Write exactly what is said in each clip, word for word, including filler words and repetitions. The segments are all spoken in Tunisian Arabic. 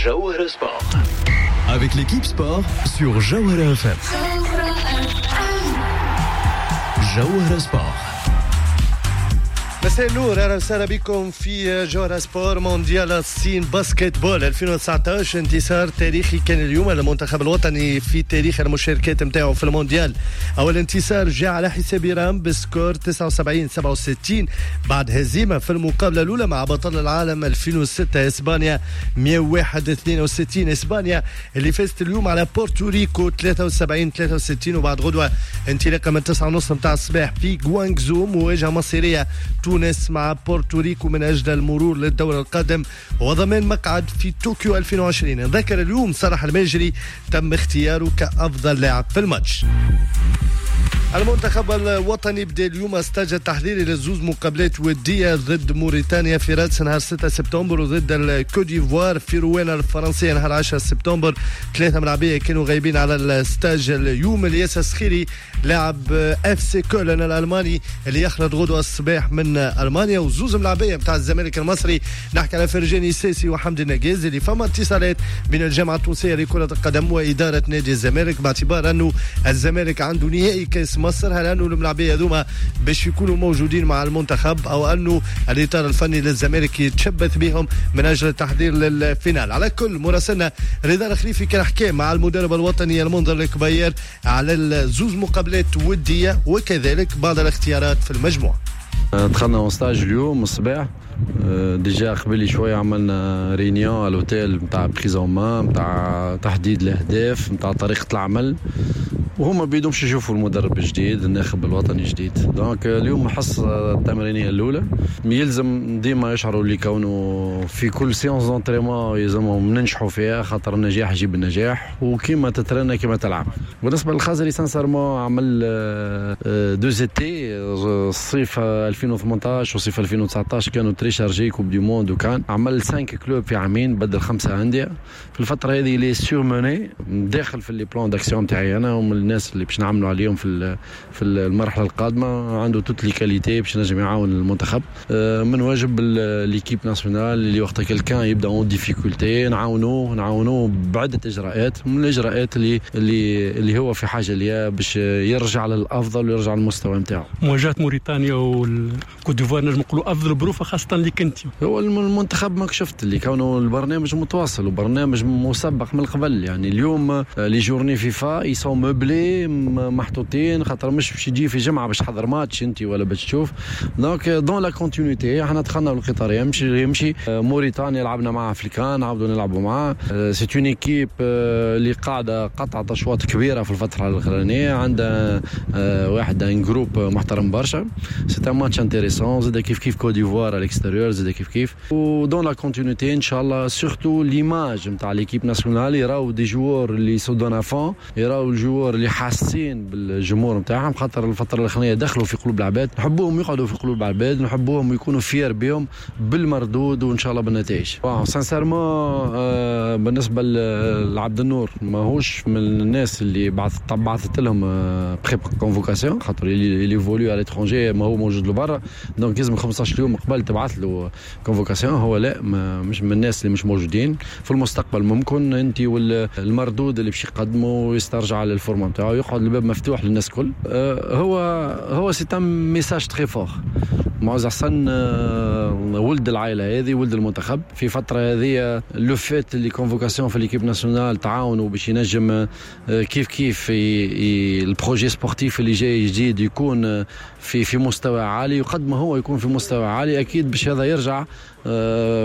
جوهرة Sport avec l'équipe sport sur جوهرة F M. جوهرة Sport. مساء النور، اهلا وسهلا بكم في جوهرة Sport. مونديال الصين basketball ألفين وتسعطاش، انتصار تاريخي كان اليوم للمنتخب الوطني في تاريخ المشاركات نتاعو في المونديال. اول انتصار جاء على حساب ايران ب score تسعة وسبعين سبعة وستين بعد هزيمة في المقابلة الاولى مع بطل العالم ألفين وستة اسبانيا مية وواحد اثنين وستين. اسبانيا اللي فازت اليوم على بورتوريكو ثلاثة وسبعين ثلاثة وستين. وبعد غدوه انطلاقة من تسعة ونص نتاع الصباح في غوانغزو مواجهة مصيرية، تونس مع بورتوريكو من أجل المرور للدور القادم وضمان مقعد في طوكيو ألفين وعشرين. نذكر اليوم صلاح الماجري تم اختياره كأفضل لاعب في الماتش. المنتخب الوطني بدا اليوم stage التحضيري لزوز مقابلات ودية، ضد موريتانيا في رادس نهار ستة سبتمبر وضد الكوت ديفوار في روان الفرنسية نهار عشرة سبتمبر. ثلاثة ملاعبية كانوا غايبين على ال stage اليوم: الياس السخيري لاعب اف سي كولن الالماني اللي يخلط غدوة الصباح من المانيا، وزوز ملاعبية نتاع الزمالك المصري، نحكي على فرجاني الساسي وحمدي النقاز، اللي فما اتصالات من الجامعة التونسية لكرة القدم وإدارة نادي الزمالك باعتبار أنه الزمالك عنده نهائي كاس مصر. هل انه الملاعبيه هذوما باش يكونوا موجودين مع المنتخب او انه الاطار الفني للزمالك يتشبث بهم من اجل التحضير لل finale؟ على كل، مراسلنا رضا الخليفي كان حكى مع المدرب الوطني المنذر الكبير على الزوز مقابلات وديه وكذلك بعض الاختيارات في المجموعه. دخلنا en stage اليوم الصباح، déjà قبل شوية عملنا réunion à l'hôtel نتاع prise en main، نتاع تحديد الاهداف، نتاع طريقه العمل، وهما بيدهم باش يشوفوا المدرب الجديد، الناخب الوطني الجديد. donc اليوم الحصة التمرينيه الاولى. يلزم ديما يشعروا اللي كونه في كل séance d'entraînement يلزمهم ننجحوا فيها، خاطر النجاح يجيب النجاح، وكيما تترنى كيما تلعب. بالنسبة للخزري، sincèrement عمل deux étés، الصيف ألفين وثمنطاش وصيف ألفين وتسعطاش كانوا très chargés، Coupe du monde، وكان عمل cinq clubs في عامين، بدل خمسة اندية في الفترة هذه. il est surmené، داخل في les plans d'action تاعي انا ومن الناس اللي باش نعملوا عليهم في في المرحلة القادمه. عنده toutes les qualités باش نجم يعاون المنتخب. آه، من واجب l'équipe nationale اللي وقت quelqu'un يبدا en difficulté نعاونوه، نعاونوه بعده اجراءات، من الاجراءات اللي اللي اللي هو في حاجة ليها باش يرجع للافضل ويرجع للمستوى نتاعو. مواجهة موريتانيا والكوت ديفوار نجم نقولوا افضل بروفه خاصة اللي كنت هو المنتخب ماك شفت اللي كونه البرنامج متواصل وبرنامج مسبق من قبل. يعني اليوم les journées FIFA ils sont meublées، محطوطين، خاطر مش باش يجي في جمعه باش تحضر ماتش انت ولا باش تشوف. donc dans la continuité احنا دخلنا بالقطار يمشي يمشي. موريتانيا لعبنا معها في الكان، نعاودوا نلعبوا معاه. c'est une équipe اللي قاعدة قطعت اشواط كبيرة في الفترة الاخرانيه، عندها واحد un groupe محترم برشا. c'est un match intéressant. زاد كيف كيف كوت ديفوار à l'extérieur زاد كيف كيف. و dans la continuité ان شاء الله، surtout l'image نتاع l'équipe nationale، يراو des joueurs اللي se donnent à fond، يراو ال joueurs اللي حاسين بالجمهور نتاعهم، خاطر الفترة الاخرانية دخلوا في قلوب العباد. نحبوهم يقعدوا في قلوب العباد، نحبوهم يكونوا fiers بهم بالمردود وان شاء الله بالنتائج. sincèrement آه بالنسبة لعبد النور ماهوش من الناس اللي بعثت بعثت لهم pré-convocation، خاطر il évolue à l'étranger، ما هو موجود لبرا، donc لازم خمسطاش يوم قبل تبعث له convocation. هو لا، مش من الناس اللي مش موجودين. في المستقبل ممكن انت والمردود اللي باش يقدمه ويسترجع لل forme نتاعو يقعد الباب مفتوح للناس الكل. آه، هو هو c'est un message très fort. معز حسن آه، ولد العائلة هذه، ولد المنتخب. في فترة هذه le fait les convocations في l'équipe nationale تعاونوا باش ينجم آه، كيف كيف ال projet sportif اللي جاي جديد يكون في في مستوى عالي، وقد ما هو يكون في مستوى عالي اكيد باش هذا يرجع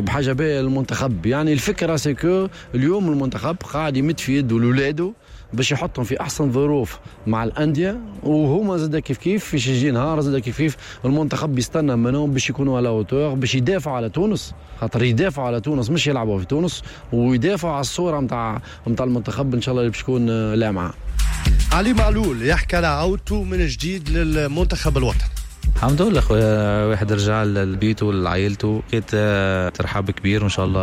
بحاجة باهيه للمنتخب. يعني الفكرة c'est que اليوم المنتخب قاعد يمد في يده لاولاده باش يحطهم في احسن ظروف مع الانديه، وهما زاد كيف كيف في يجي نهار زاد كيف كيف المنتخب بيستنى منهم باش يكونوا à la hauteur، باش يدافعوا على تونس، خاطر يدافعوا على تونس مش يلعبوا في تونس، ويدافعوا على الصورة نتاع نتاع المنتخب ان شاء الله اللي باش تكون لامعه. علي معلول يحكي على عودته من جديد للمنتخب الوطني. الحمد لله خويا، واحد رجع لبيته ولعائلته، لقيت ترحاب كبير، وان شاء الله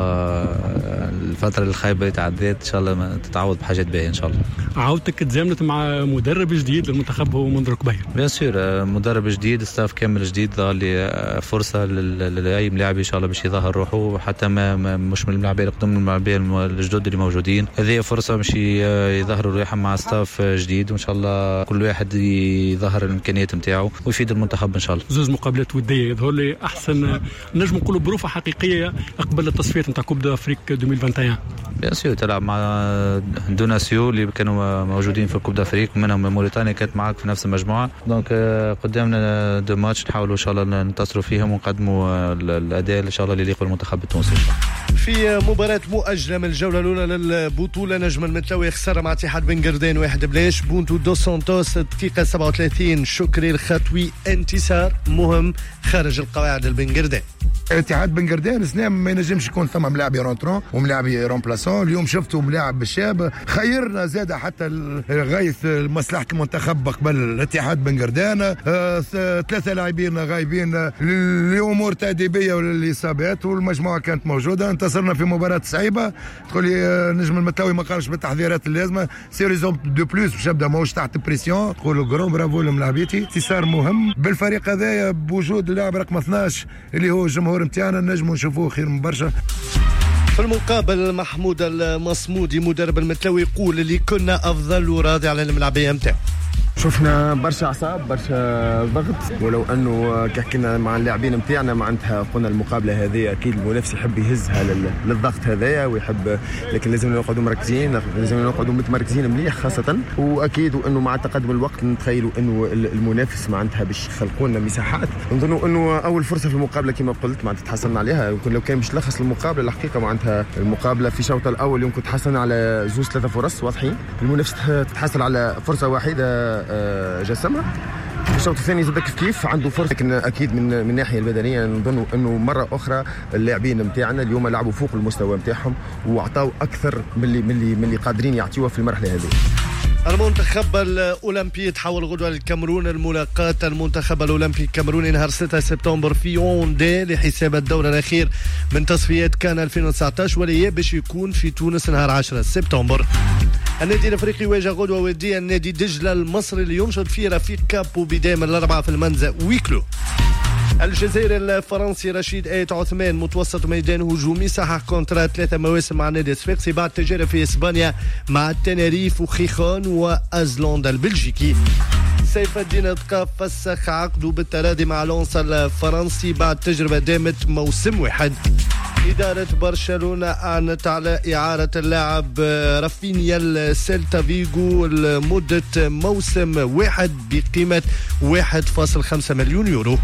الفترة الخايبة اللي تعديت ان شاء الله تتعوض بحاجات باهيه ان شاء الله. عودتك تزامنت مع مدرب جديد للمنتخب هو منذر كبير. bien sûr مدرب جديد، staff كامل جديد، ظهر لي فرصة لاي ملاعب ان شاء الله باش يظهر روحه، حتى ما مش من الملاعبين القدم، من الملاعبين الجدد اللي موجودين، هذه فرصة باش يظهروا روحهم مع staff جديد، وان شاء الله كل واحد يظهر الامكانيات نتاعو ويفيد المنتخب ان شاء الله. زوز مقابلات وديه يظهر لي احسن نجم نقولوا بروفه حقيقية قبل التصفيات نتاع Coupe d'Afrique ألفين وواحد وعشرين. bien sûr تلعب مع deux nations اللي كانوا موجودين في Coupe d'Afrique، ومنهم موريتانيا كانت معاك في نفس المجموعة، donc قدامنا deux matchs نحاولوا ان شاء الله ننتصروا فيهم ونقدموا الاداء ان شاء الله اللي يليق بالمنتخب التونسي. في مباراة مؤجلة من الجولة الأولى للبطولة، نجم المتلوي خسر مع اتحاد بن قردين واحد بلاش، بونتو دو سانتوس دقيقة سبعة وثلاثين، شكري الخطوي انتصار مهم خارج القواعد البن قردين. اتحاد بن قردين سنة ما ينجمش يكون ثم ملاعب rentrant وملاعب remplaçant، اليوم شفتوا ملاعب الشاب خيرنا زاد حتى غايث مصلحة المنتخب قبل الاتحاد بن قردين، ثلاثة لاعبين غايبين لأمور تأديبية وللإصابات، والمجموعة كانت موجودة، انتصرنا في مباراة صعيبة. تقولي نجم المتلوي ما قامش بالتحضيرات اللازمة، c'est raison de plus باش يبدا ماهوش تحت pression. نقولوا grand bravo لملاعبيتي، انتصار مهم بالفريق هذايا بوجود اللاعب رقم اثناش اللي هو الجمهور نتاعنا، نجموا نشوفوه خير من برشا. في المقابل محمود المصمودي مدرب المتلوي يقول اللي كنا افضل وراضي على الملاعبيه نتاعو. شفنا برشا اعصاب، برشا ضغط، ولو انه كي حكينا مع اللاعبين نتاعنا معناتها قلنا المقابلة هذه اكيد المنافس يحب يهزها للضغط هذايا ويحب، لكن لازم نقعدوا مركزين، لازم نقعدوا متمركزين مليح خاصة، واكيد وانه مع تقدم الوقت نتخيلوا انه المنافس معناتها باش يخلقوا لنا مساحات. نظنوا انه اول فرصة في المقابلة كما قلت معناتها تحصلنا عليها، يمكن لو كان باش تلخص المقابلة الحقيقة معناتها المقابلة في الشوط الاول يمكن تحصلنا على زوج ثلاثة فرص واضحين، المنافس تحصل على فرصة واحدة جسمها. في الشوط الثاني زاد كيف كيف عنده فرصة، لكن اكيد من من الناحية البدنية نظن انه مرة اخرى اللاعبين نتاعنا اليوم لعبوا فوق المستوى نتاعهم واعطاو اكثر من اللي من اللي من اللي قادرين يعطيوه في المرحلة هذه. المنتخب الأولمبي تحول غدوة للكاميرون، الملاقاة المنتخب الأولمبي الكاميروني نهار ستة سبتمبر في يوندي لحساب الدور الأخير من تصفيات كان ألفين وتسعطاش، والإياب باش يكون في تونس نهار عشرة سبتمبر. النادي الأفريقي يواجه غدوة وديا النادي دجلة المصري اللي ينشط فيه رفيق كابو بداية من الأربعة في المنزل ويكلو. الجزائر الفرنسي رشيد آيت عثمان متوسط ميدان هجومي صحح contrat ثلاثة مواسم مع نادي صفاقسي بعد تجارب في إسبانيا مع تناريف وخيخون وأزلاندا البلجيكي. سيف الدين دقا فسخ عقده بالتراضي مع لونس الفرنسي بعد تجربة دامت موسم واحد. إدارة برشلونة أعلنت على إعارة اللاعب رافينيا لسيلتا فيغو لمدة موسم واحد بقيمة واحد فاصل خمسة مليون يورو.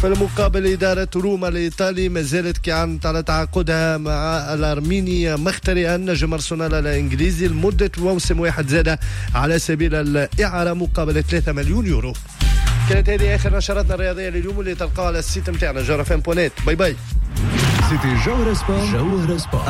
في المقابل إدارة روما الإيطالي ما زالت كي على تعاقدها مع الأرميني مخترئا نجم أرسنال الإنجليزي لمدة موسم واحد زاد على سبيل الإعارة مقابل ثلاثة مليون يورو. كانت هذه آخر نشراتنا الرياضية لليوم اللي تلقاها على ال site متاعنا جوهرة اف ام point net. bye bye. C'était جوهرة سبور. جوهرة سبور.